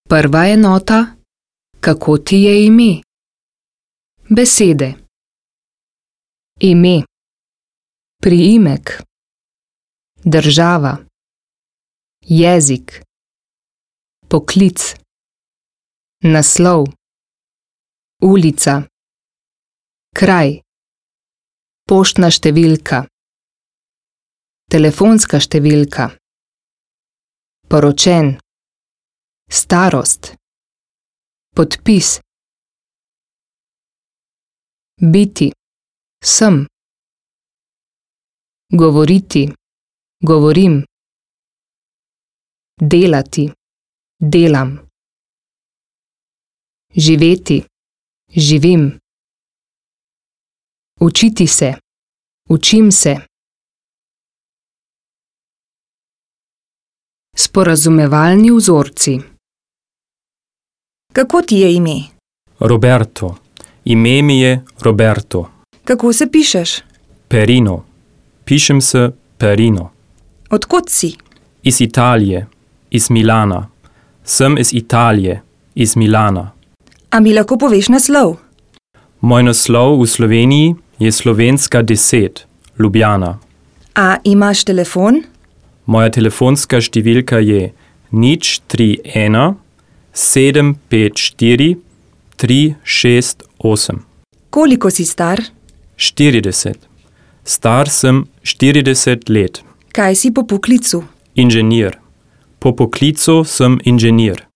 Prva enota, kako ti je ime? Besede. Ime. Priimek. Država. Jezik. Poklic. Naslov. Ulica. Kraj. Poštna številka. Telefonska številka. Poročen. Starost. Podpis. Biti. Sem. Govoriti. Govorim. Delati. Delam. Živeti. Živim. Učiti se. Učim se. Sporazumevalni vzorci. Kako ti je ime? Roberto. Ime mi je Roberto. Kako se pišeš? Perino. Pišem se Perino. Odkot si? Iz Italije. Iz Milana. Sem iz Italije. Iz Milana. A mi lahko poveš naslov? Moj naslov v Sloveniji je Slovenska 10, Ljubljana. A imaš telefon? Moja telefonska številka je 031 754 368. Koliko si star? 40. Star sem 40 let. Kaj si po poklicu? Inženir. Po poklicu sem inženir.